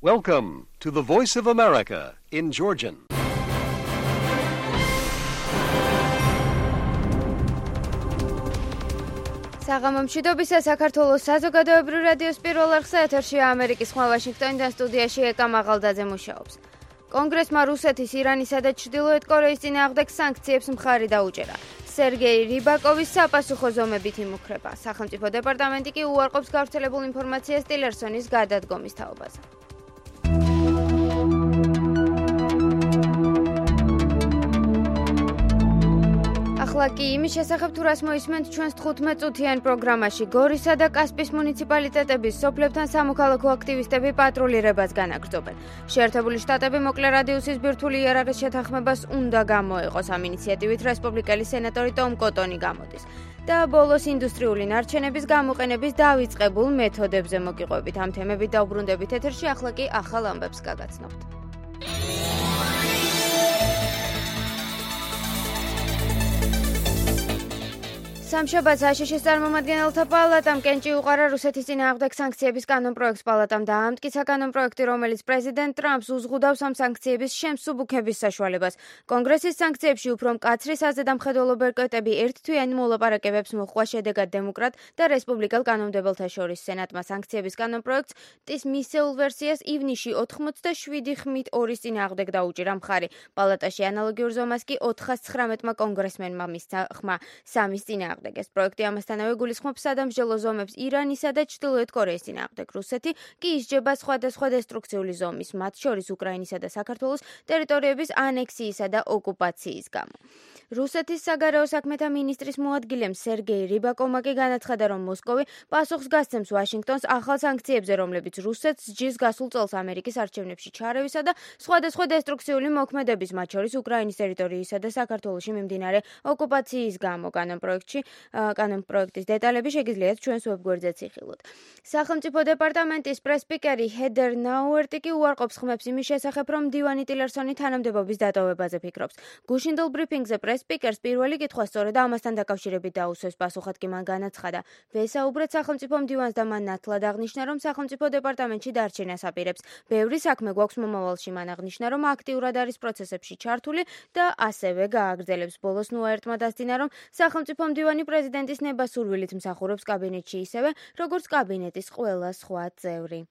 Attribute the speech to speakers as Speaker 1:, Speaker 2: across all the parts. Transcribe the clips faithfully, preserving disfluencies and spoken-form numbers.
Speaker 1: Welcome to the Voice of America in Georgian.
Speaker 2: საღამომშვიდობისა საქართველოს საზოგადოებრივ რადიოს პირველ არხზე ეთერშია ამერიკის ხმა ვაშინგტონიდან სტუდიაში ეკა მაღალდაძე მუშაობს. კონგრესმა რუსეთის, ირანისა და ჩრდილოეთ კორეის წინააღმდეგ სანქციებს მხარი დაუჭერა. სერგეი რიბაკოვის საპასუხო ზომებით იმუქრება. სახელმწიფო დეპარტამენტი კი უარყოფს გავრცელებულ ინფორმაციას ტილერსონის გადადგომის თაობაზე. ახლა კი იმის შესახებ თუ რას მოისმენთ ჩვენს თხუთმეტ წუთიან პროგრამაში. გორისა და კასპის მუნიციპალიტეტების სოფლებთან სამოქალაქო აქტივისტები პატრულირებას განაგრძობენ. შეერთებული შტატები მოკლე რადიუსის ბირთვული იარაღის შეთანხმებას უნდა გამოეყოს. ამ ინიციატივით რესპუბლიკელი სენატორი ტომ კოტონი გამოდის. და ბოლოს ინდუსტრიული ნარჩენების გამოყენების დავიწყებულ მეთოდებზე მოგიყვებით. ამ თემებით დაუბრუნდებით ეთერში, ახლა კი ახალ ამბებს გაგაცნობთ. სამშაბათს აშშ-ის წარმომადგენელთა პალატამ კენჭი უყარა რუსეთის წინააღმდეგ სანქციების კანონპროექტს. პალატამ დაამტკიცა კანონპროექტი, რომელიც პრეზიდენტ ტრამპს უზღუდავს ამ სანქციების შემსუბუქების საშუალებას. კონგრესის სანქციებში უფრო მკაცრი საზედამხედველო ბერკეტები ერთთვიანი მოლაპარაკებებს მოჰყვა. შედეგად დემოკრატ და რესპუბლიკელ კანონმდებელთა შორის სენატმა სანქციების კანონპროექტს ტის მისეულ ვერსიას ივნისში ოცდაშვიდი ხმით ორის წინააღმდეგ დაუჭირა მხარი. პალატაში ანალოგიურ ზომას კი ოთხას ცხრამეტმა კონგრესმენმა მისცა ხმა სამის წინააღმდეგ. ეს პროექტი ამასთანავე გულისხმობს სადამსჯელო ზომებს ირანისა და ჩრდილოეთ კორეის წინააღმდეგ. რუსეთი კი ისჯება სხვადასხვა დესტრუქციული ზომის, მათ შორის უკრაინისა და საქართველოს ტერიტორიების ანექსიისა და ოკუპაციის გამო. რუსეთის საგარეო საქმეთა მინისტრის მოადგილემ სერგეი რიბაკოვმა კი განაცხადა, რომ მოსკოვი პასუხს გასცემს ვაშინგტონს ახალ სანქციებზე, რომლებიც რუსეთს სჯის გასულ წელს ამერიკის არჩევნებში ჩარევისა და სხვადასხვა დესტრუქციული მოქმედების, მათ შორის უკრაინის ტერიტორიისა და საქართველოში მიმდინარე ოკუპაციის გამო. კანონპროექტში კანონპროექტის დეტალები შეგიძლიათ ჩვენს ვებგვერდზეც იხილოთ. სახელმწიფო დეპარტამენტის პრესპიკერი ჰედერ ნაუერტი კი უარყოფს ხმებს იმის შესახებ, რომ მდივანი ტილერსონი თანამდებობის დატოვებაზე ფიქრობს. გუშინდელ ბრიფინგზე პრესპიკერს პირველი კითხვა სწორედ ამასთან დაკავშირებით დაუსვეს. პასუხად კი მან განაცხადა, ვესაუბრეთ სახელმწიფო მდივანს და მან ნათლად აღნიშნა, რომ სახელმწიფო დეპარტამენტში დარჩენას აპირებს. ბევრი საქმე გვაქვს მომავალში. მან აღნიშნა, რომ აქტიურად არის პროცესებში ჩართული და ასევე გააგრძელებს. ბოლოს ნუაერტმა დასძინა, რომ სახელმწიფო მდივანი პრეზიდენტის ნებასურვილით მსახურობს კაბინეტში ისევე, როგორც კაბინეტის ყველა სხვა წევრი.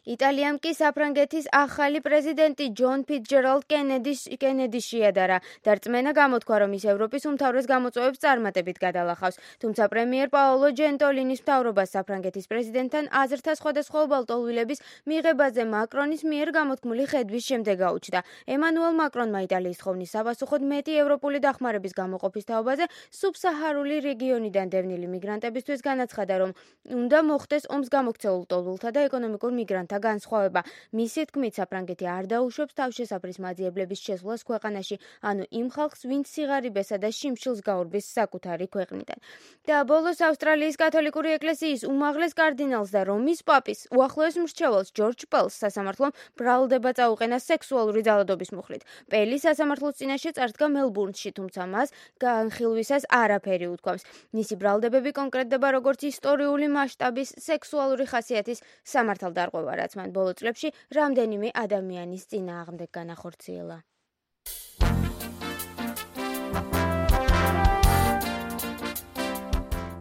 Speaker 2: იტალიამ კი საფრანგეთის ახალი პრეზიდენტი ჯონ ფიცჯერალდ კენედის შეადარა. დარწმენა გამოთქვა, რომ ის ევროპის უმთავრეს გამოწვევებს წარმატებით გადალახავს. თუმცა პრემიერ პაოლო ჯენტოლინის მთავრობას საფრანგეთის პრეზიდენტთან აზრთა სხვადასხვა უბალტოლვილების მიღებაზე მაკრონის მიერ გამოთქმული ხედვის შემდეგ გაუჩნდა. ემანუელ მაკრონმა იტალიის თხოვნის საპასუხოდ მეტი ევროპული დახმარების გამოყოფის თაობაზე სუბსაჰარული რეგიონიდან დევნილი მიგრანტებისთვის განაცხადა, რომ უნდა მოხდეს ომს გამოქცეულ ლტოლვილთა და ეკონომიკურ მიგრანტთა განსხვავება. მისი თქმით, საფრანგეთი არ დაუშვებს თავშესაფრის მაძიებლების შესვლას ქვეყანაში, ანუ იმ ხალხს, ვინც სიღარიბესა და შიმშილს გაურბის საკუთარი ქვეყნიდან. და ბოლოს ავსტრალიის კათოლიკური ეკლესიის უმაღლეს კარდინალს და რომის პაპის უახლოეს მრჩეველს ჯორჯ პელს სასამართლომ ბრალდება წაუყენა სექსუალური ძალადობის მუხლით. პელი სასამართლოს წინაშე წარდგა მელბურნში, თუმცა მას განხილვისას არაფერი უთქვამს. მისი ბრალდებები კონკრეტდება როგორც ისტორიული მასშტაბის სექსუალური ხასიათის სამართალდარღვევა, რაც მან ბოლო წლებში რამდენიმე ადამიანის წინააღმდეგ განახორციელა.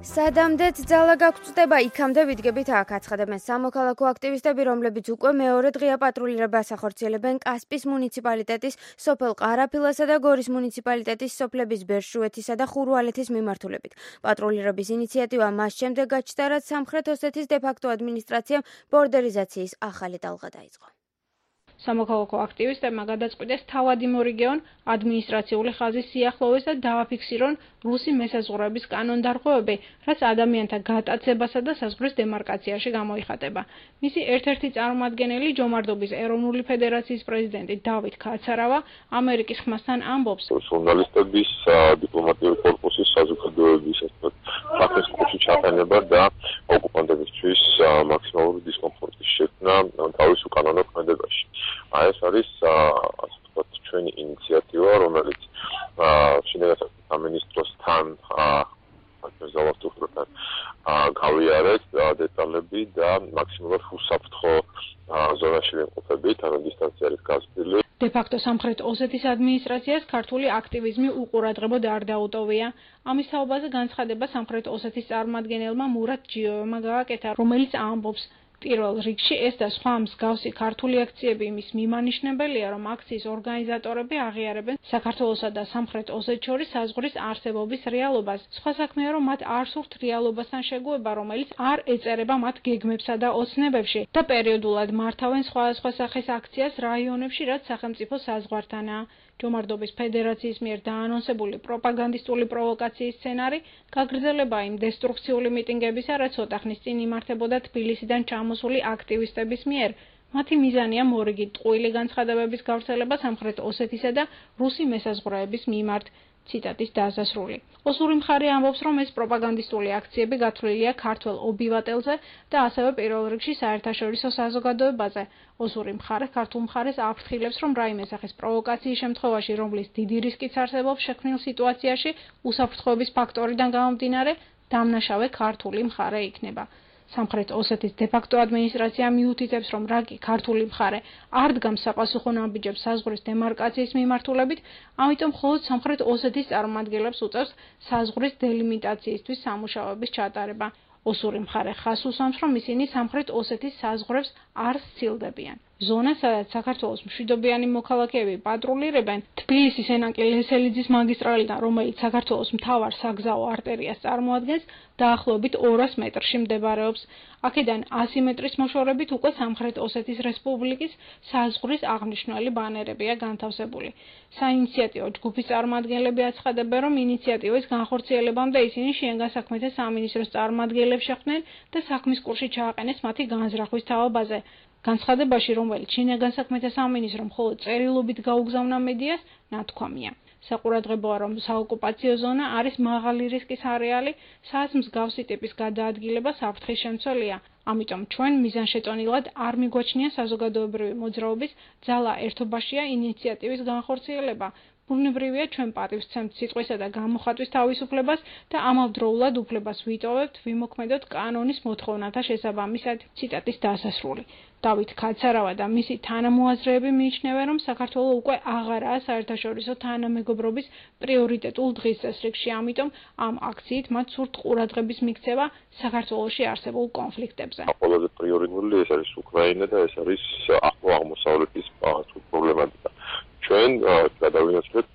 Speaker 2: სადამდეც ძალა გაგწდება, იქამდე ვიდგებით აქ, აცხადებენ სამოქალაქო აქტივისტები, რომლებიც უკვე მეორე დღეა პატრულირებას ახორციელებენ კასპის მუნიციპალიტეტის, სოფელ ყარაფილასა და გორის მუნიციპალიტეტის სოფლების ბერშუეთისა და ხურვალეთის მიმართულებით. პატრულირების ინიციატივა მას შემდეგ გაჩნდა, რაც სამხრეთ ოსეთის დე-ფაქტო ადმინისტრაციამ ბორდერიზაციის ახალი ტალღა დაიწყო.
Speaker 3: სამოქალაქო აქტივისტებმა გადაწყვიტეს თავად იმორიგეონ ადმინისტრაციული ხაზის სიახლოვეს და დააფიქსირონ რუსი მესაზღვრეების კანონდარღვევები, რაც ადამიანთა გატაცებასა და საზღვრის დემარკაციაში გამოიხატება. მისი ერთ-ერთი წარმომადგენელი ჯომარდობის ეროვნული ფედერაციის პრეზიდენტი დავით ქაცარავა ამერიკის ხმასთან ამბობს,
Speaker 4: ჟურნალისტების დიპლომატიური კორპუსის საზოგადოების ფაქტის კუთხე ჩაყენება და ოკუპანტებისთვის მაქსიმალური დისკომფორტის შექმნა თავის უკანონო ქმედებაში. ეს არის ასე ვთქვათ ჩვენი ინიციატივა, რომელიც შინაგან სამინისტროსთან ზავასტურთან გავიარეთ დეტალები და მაქსიმალურად უსაფრთხო კონტაქტში ვიმყოფებით, ანუ დისტანცია არის გაზრდილი.
Speaker 3: დე-ფაქტო სამხრეთ ოსეთის ადმინისტრაციას ქართული აქტივიზმი უყურადღებოდ არ დაუტოვია. ამის თაობაზე განცხადება სამხრეთ ოსეთის წარმომადგენელმა მურატ ჯიოვმა გააკეთა, რომელიც ამბობს, პირველ რიგში ეს და სხვა მსგავსი ქართული აქციები იმის მიმანიშნებელია, რომ აქციის ორგანიზატორები აღიარებენ საქართველოსა და სამხრეთ ოსეთს შორის საზღვრის არსებობის რეალობას. სხვა საქმეა, რომ მათ არ სურთ რეალობასთან შეგუება, რომელიც არ ეწერება მათ გეგმებსა და ოცნებებში და პერიოდულად მართავენ სხვადასხვა სახის აქციას რაიონებში, რაც სახელმწიფო საზღვართანაა. ჯომარდობის ფედერაციის მიერ დაანონსებული პროპაგანდისტული პროვოკაციის სცენარი გაგრძელება იმ დესტრუქციული მიტინგებისა, რაც ცოტა ხნის წინ იმართებოდა თბილისიდან ჩამოსული აქტივისტების მიერ. მათი მიზანია მორიგი ტყუილი განცხადებების გავრცელება სამხრეთ ოსეთისა და რუსი მესაზღვრეების მიმართ. ციტატის დასასრული. ოსური მხარე ამბობს, რომ ეს პროპაგანდისტული აქციები გათვლილია ქართველ ობივატელზე და ასევე პირველ რიგში საერთაშორისო საზოგადოებაზე. ოსური მხარე ქართულ მხარეს აფრთხილებს, რომ რაიმე სახის პროვოკაციის შემთხვევაში, რომლის დიდი რისკიც არსებობს შექმნილ სიტუაციაში, უსაფრთხოების ფაქტორიდან გამომდინარე, დამნაშავე ქართული მხარე იქნება. სამხრეთ ოსეთის დე-ფაქტო ადმინისტრაცია მიუთითებს, რომ რაკი ქართული მხარე არ დგამს საპასუხო ნაბიჯებს საზღვრის დემარკაციის მიმართულებით, ამიტომ მხოლოდ სამხრეთ ოსეთის წარმომადგენლებს უწევს საზღვრის დელიმიტაციისთვის სამუშაოების ჩატარება. ოსური მხარე ხაზს უსვამს, რომ ისინი სამხრეთ ოსეთის საზღვრებს არ სცილდებიან. ზონა, სადაც საქართველოს მშვიდობიანი მოქალაქეები პატრულირებენ, თბილისის ენაკი ლესელიძის მაგისტრალიდან, რომელიც საქართველოს მთავარ საგზაო არტერიას წარმოადგენს, დაახლოებით ორას მეტრში მდებარეობს. აქედან ასი მეტრის მოშორებით უკვე სამხრეთ ოსეთის რესპუბლიკის საზღვრის აღნიშნული ბანერებია განთავსებული. საინიციატივო ჯგუფის წარმომადგენლები აცხადებენ, რომ ინიციატივის განხორციელებამდე ისინი შინაგან საქმეთა სამინისტროს წარმომადგენლებს შეხვდნენ და საქმის კურსი ჩააყენეს მათი განზრახვის თაობაზე. განცხადებაში, რომელიც შინაგან საქმეთა სამინისტრომ მხოლოდ წერილობით გაუგზავნა მედიას, ნათქვამია. საყურადღებოა, რომ საოკუპაციო ზონა არის მაღალი რისკის არეალი, სადაც მსგავსი ტიპის გადაადგილება საფრთხის შემცველია. ამიტომ ჩვენ მიზანშეწონილად არ მიგვაჩნია საზოგადოებრივი მოძრაობის ძალა ერთობაშია ინიციატივის განხორციელება. ბუნებრივია ჩვენ პატივს ვცემთ სიტყვისა და გამოხატვის თავისუფლებას და ამავდროულად უფლებას ვიტოვებთ ვიმოქმედოთ კანონის მოთხოვნათა შესაბამისად. ციტატის დასასრული. დავით ქაცარავა და მისი თანამოაზრეები მიიჩნევენ, რომ საქართველო უკვე აღარაა საერთაშორისო თანამეგობრობის პრიორიტეტულ დღის წესრიგში, ამიტომ ამ აქციით მათ სურთ ყურადღების მიქცევა საქართველოში არსებულ კონფლიქტებზე.
Speaker 4: ყველაზე პრიორიტეტული ეს არის უკრაინა და ეს არის ახლო აღმოსავლეთის პრობლემატიკა. ჩვენ გადავინაცვლეთ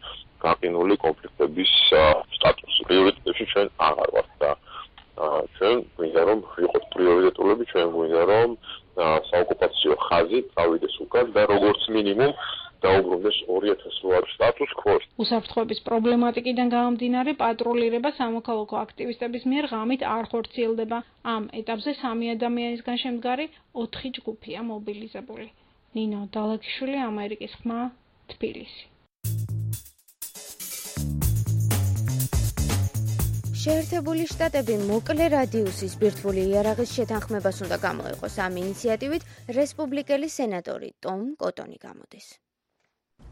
Speaker 4: გაყინული კონფლიქტების სტატუსი. პრიორიტეტებში ჩვენ აღარ ვართ და ჩვენ გვინდა რომ ვიყოთ პრიორიტეტულები, ჩვენ გვინდა რომ საოკუპაციო ხაზი წავიდეს უკან და როგორც მინიმუმ დაუბრუნდეს ორი ათას ორი სტატუს კვოს.
Speaker 3: უსაფრთხოების პრობლემატიკიდან გამომდინარე პატრულირება სამოქალაქო აქტივისტების მიერ ღამით არ ხორციელდება. ამ ეტაპზე სამი ადამიანისგან შემდგარი ოთხი ჯგუფია მობილიზებული. ნინო დალაგიშვილი, ამერიკის ხმა, თბილისი.
Speaker 2: შეერთებული შტატები მოკლე რადიუსის ბირთვული იარაღის შეთანხმებას უნდა გამოიყოს. ამ ინიციატივით რესპუბლიკელი სენატორი ტომ კოტონი გამოდის.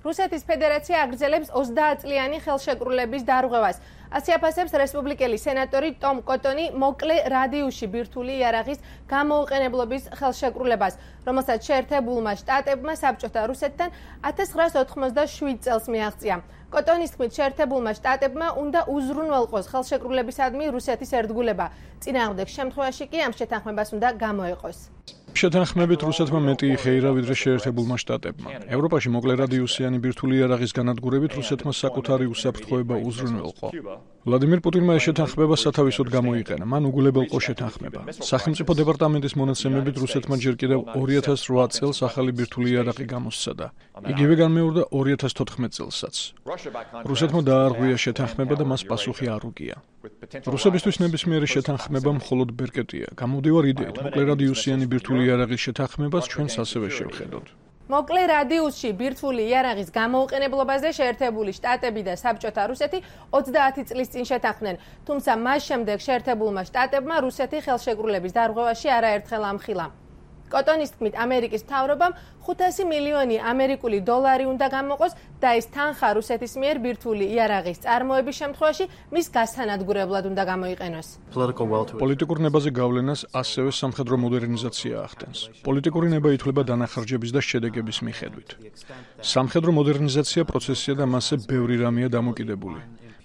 Speaker 5: რუსეთის ფედერაცია აგრძელებს ოცდაათწლიანი ხელშეკრულების დარღვევას. ასე აფასებს რესპუბლიკელი სენატორი ტომ კოტონი მოკლე რადიუსში ბირთვული იარაღის გამოუყენებლობის ხელშეკრულებას, რომელსაც შეერთებულმა შტატებმა საბჭოთა რუსეთთან ათას ცხრაასი ოთხმოცდაშვიდ წელს მიაღწია. კოტონის თქმით, შეერთებულმა შტატებმა უნდა უზრუნველყოს ხელშეკრულებისადმი რუსეთის ერთგულება. წინააღმდეგ შემთხვევაში კი ამ შეთანხმებას უნდა გამოეყოს.
Speaker 6: შეთანხმებით რუსეთმა მეტი იხეირა ვიდრე შეერთებულმა შტატებმა. ევროპაში მოკლე რადიუსიანი ბირთვული იარაღის განადგურებით რუსეთმა საკუთარი უსაფრთხოება უზრუნველყო. ვლადიმირ პუტინმა ეს შეთანხმება სათავისოდ გამოიყენა. მან უგულებელყო შეთანხმება. სახელმწიფო დეპარტამენტის მონაცემებით რუსეთმა ჯერ კიდევ ორი ათას რვა წელს ახალი ბირთვული იარაღი გამოსცადა. იგივე განმეორდა ორი ათას თოთხმეტ წელსაც. რუსეთმა დაარღვია შეთანხმება და მას პასუხი არ უგია. რუსებისთვის ნებისმიერი შეთანხმება მხოლოდ ბერკეტია. გამოვდივარ იდეით, მოკლე რადიუსიანი ბირთვული იარაღის შეთანხმებას ჩვენს ასევე შევხედოთ.
Speaker 5: მოკლე რადიუსში ბირთვული იარაღის გამოუყენებლობაზე შეერთებული შტატები და საბჭოთა რუსეთი ოცდაათი წლის წინ შეთანხმდნენ, თუმცა მას შემდეგ შეერთებულმა შტატებმა რუსეთი ხელშეკრულების დარღვევაში არაერთხელ ამხილა. კოტონის თქმით, ამერიკის მთავრობამ ხუთასი მილიონი ამერიკული დოლარი უნდა გამოყოს და ეს თანხა რუსეთის მიერ ბირთვული იარაღის წარმოების შემთხვევაში მის გასანადგურებლად უნდა გამოიყენოს.
Speaker 6: პოლიტიკურ ნებაზე გავლენას ასევე სამხედრო მოდერნიზაცია ახდენს. პოლიტიკური ნება ითვლება დანახარჯების და შედეგების მიხედვით. სამხედრო მოდერნიზაცია პროცესია და მასზე ბევრი რამეა დამოკიდებული.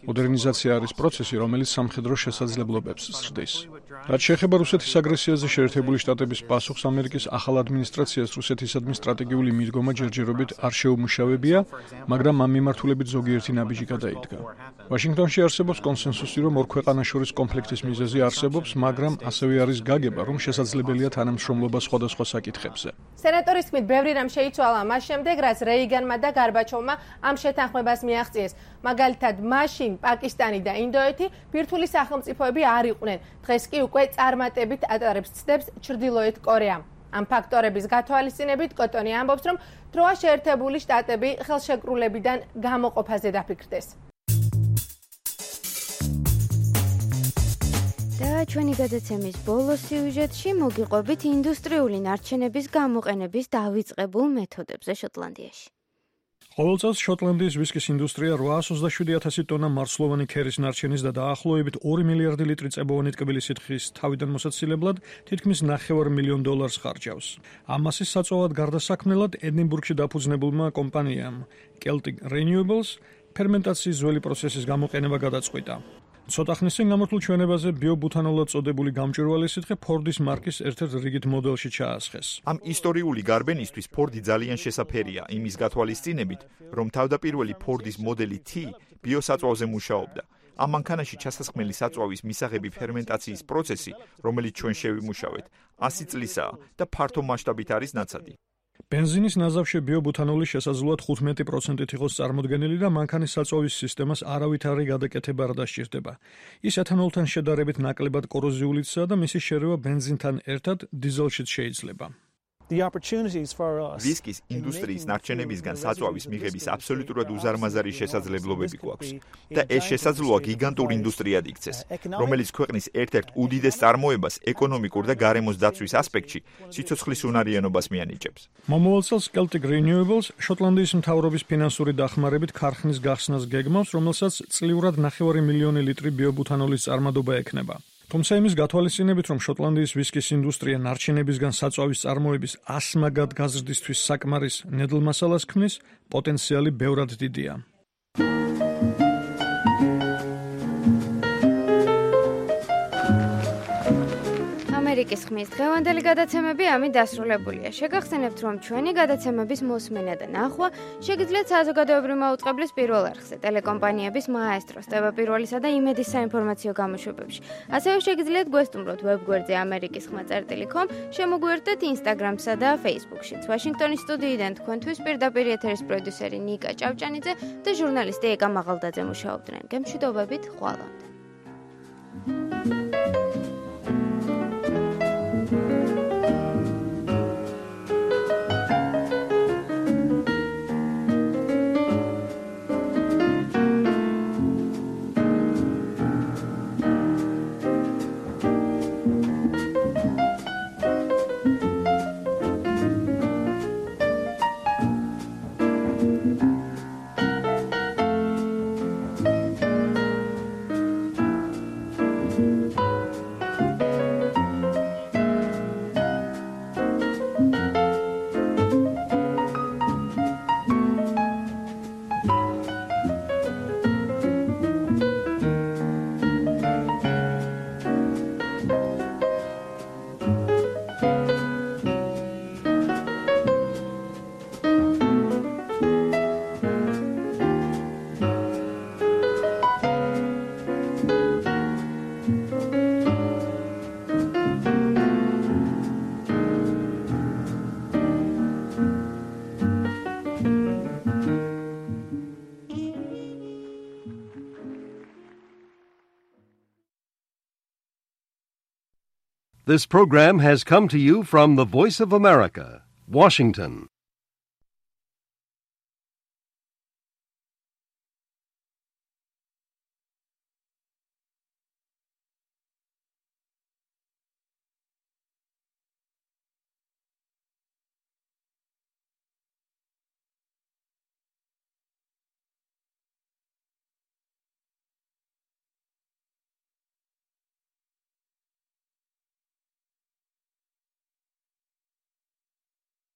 Speaker 6: მოდერნიზაცია არის პროცესი, რომელიც სამხედრო შესაძლებლობებს ზრდის. რაც შეეხება რუსეთის აგრესიაზე შეერთებული შტატების პასუხს, ამერიკის ახალ ადმინისტრაციას რუსეთისადმი სტრატეგიული მიდგომა ჯერჯერობით არ შეუმუშავებია, მაგრამ ამ მიმართულებით ზოგიერთი ნაბიჯი გადაიდგა. ვაშინგტონში არსებობს კონსენსუსი, რომ ორ ქვეყანას შორის კონფლიქტის მიზეზი არსებობს, მაგრამ ასევე არის გაგება, რომ შესაძლებელია თანამშრომლობა სხვადასხვა საკითხებზე.
Speaker 5: სენატორის თქმით, ბევრი რამ შეიცვალა მას შემდეგ, რაც რეიგანმა და გარბაჩოვმა ამ შეთანხმებას მიაღწიეს. მაგალითად, მაშინ პაკისტანი და ინდოეთი ბირთვული სახელმწიფოები არ იყვნენ. დღეს კი უკვე წარმატებით ატარებს ცდებს ჩრდილოეთ კორეამ. ამ ფაქტორების გათვალისწინებით კოტონი ამბობს, რომ დროა შეერთებული შტატები ხელშეკრულებიდან გამოყოფაზე დაფიქრდეს.
Speaker 2: და ჩვენი გადაცემის ბოლო სიუჟეტში მოგიყვებით ინდუსტრიული ნარჩენების გამოყენების დავიწყებულ მეთოდებზე შოტლანდიაში.
Speaker 6: ყოველ წელს შოტლანდიის ვისკის ინდუსტრია რვაას ოცდაშვიდი ათასი ტონა მარცვლოვანი ქერის ნარჩენის და დაახლოებით ორი მილიარდი ლიტრი წებოვანი ტკბილი სითხის თავიდან მოსაცილებლად თითქმის ნახევარ მილიონ დოლარს ხარჯავს. ამ მასის საწვავად გარდასაქმნელად ედინბურგში დაფუძნებულმა კომპანიამ Celtic Renewables ფერმენტაციის ძველი პროცესის გამოყენება გადაწყვიტა. ცოტა ხნის წინ გამართულ ჩვენებაზე ბიობუთანოლად წოდებული გამჭვირვალე სითხე ფორდის მარკის ერთ-ერთ რიგით მოდელში ჩაასხეს.
Speaker 7: ამ ისტორიული გარბენისთვის ფორდი ძალიან შესაფერია იმის გათვალისწინებით, რომ თავდაპირველი ფორდის მოდელი T ბიოსაწვავზე მუშაობდა. ამ მანქანაში ჩასასხმელი საწვავის მისაღები ფერმენტაციის პროცესი, რომელიც ჩვენ შევიმუშავეთ, ასი წლისაა და ფართო მასშტაბით არის ნაცადი.
Speaker 6: ბენზინის ნაზავში ბიობუთანოლი შესაძლოა თხუთმეტი პროცენტით იყოს წარმოდგენილი და მანქანის საწვავის სისტემას არავითარი გადაკეთება არ დასჭირდება. ის ეთანოლთან შედარებით ნაკლებად კოროზიულიცაა და მისი შერევა ბენზინთან ერთად დიზელშიც შეიძლება.
Speaker 7: ვისკის ინდუსტრიის ნარჩენებისგან საწვავის მიღების აბსოლუტურად უზარმაზარი შესაძლებლობები გვაქვს და ეს შესაძლოა გიგანტურ ინდუსტრიად იქცეს, რომელიც ქვეყნის ერთ-ერთ უდიდეს წარმოებას ეკონომიკურ და გარემოს დაცვის ასპექტში სიცოცხლის უნარიანობას მიანიჭებს.
Speaker 6: მომავალ წელს Celtic Renewables შოტლანდიის მთავრობის ფინანსური დახმარებით ქარხნის გახსნას გეგმავს, რომელსაც წლიურად ნახევარი მილიონი ლიტრი ბიობუთანოლის წარმადობა ექნება. თუმცა იმის გათვალისწინებით, რომ შოტლანდიის ვისკის ინდუსტრია ნარჩენებისგან საწვავის წარმოების ასმაგად გაზრდისთვის საკმარის ნედლ მასალას ქმნის, პოტენციალი ბევრად დიდია.
Speaker 2: ამერიკის ხმის დღევანდელი გადაცემები ამით დასრულებულია. შეგახსენებთ, რომ ჩვენი გადაცემების მოსმენა და ნახვა შეგიძლიათ საზოგადოებრივ მაუწყებლის პირველ არხზე, ტელეკომპანიების მაესტროს, ტევ პირველისა და იმედის საინფორმაციო გამოშვებებში. ასევე შეგიძლიათ გვესტუმროთ ვებგვერდზე ამერიკის ხმა წერტილი კომ, შემოგვიერთდეთ ინსტაგრამსა და ფეისბუქშიც. ვაშინგტონის სტუდიიდან თქვენთვის პირდაპირ ეთერის პროდიუსერი ნიკა ჭავჭანიძე და ჟურნალისტი ეკა მაღალდაძე მუშაობდნენ. გემშვიდობებით, ხვალამდე.
Speaker 1: This program has come to you from the Voice of America, Washington.